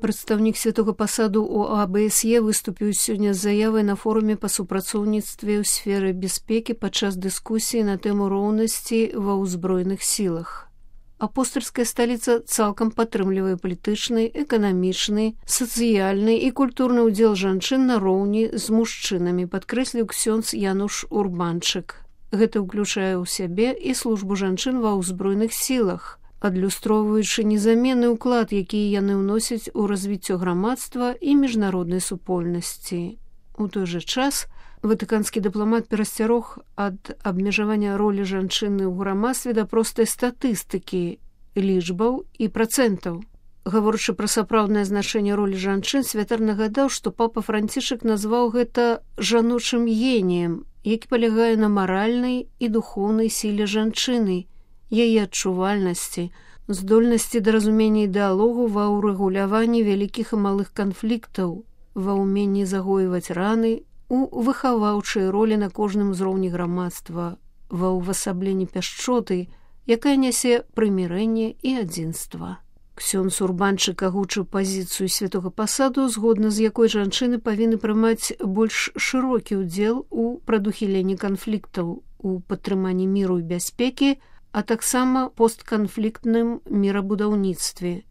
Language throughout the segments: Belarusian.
Прадстаўнік святога пасаду ў АБСЕ выступіў сёння з заявай на форуме па супрацоўніцтве ў сферы бяспекі падчас дыскусіі на тэму роўнасці ва ўзброеных сілах. Апостальская сталіца цалкам падтрымлівае палітычны, эканамічны, сацыяльны і культурны ўдзел жанчын на роўні з мужчынамі, падкрэсліў ксёндз Януш Урбанчык. Гэта ўключае ў сябе і службу жанчын ва ўзброеных сілах, адлюстроўваючы незаменны ўклад, які яны ўносяць у развіццё грамадства і міжнароднай супольнасці. У той жа час ватыканскі дыпламат перасцярог ад абмежавання ролі жанчыны ў грамадстве да простай статыстыкі, лічбаў і працэнтаў. Гаворачы пра сапраўднае значэнне ролі жанчын, святар нагадаў, што папа Францішак назваў гэта жаночым геніем, які палягае на маральнай і духоўнай сіле жанчыны, яе адчувальнасці, здольнасці да разумення і дыалогу ва ўрэгуляванні вялікіх і малых канфліктаў, ва ўменні загоіваць раны, у выхаваўчай ролі на кожным узроўні грамадства, ва ўвасабленні пяшчоты, якая нясе прымірэнне і адзінства. Ксёндз Урбанчык агучыў пазіцыю святога пасаду, згодна з якой жанчыны павінны прымаць больш шырокі ўдзел у прадухіленні канфліктаў, у падтрыманні міру і бяспекі, а таксама постканфліктным мірабудаўніцтве.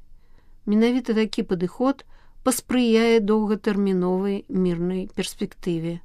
Менавіта такі падыход паспрыяе доўгатэрміновай мірнай перспектыве.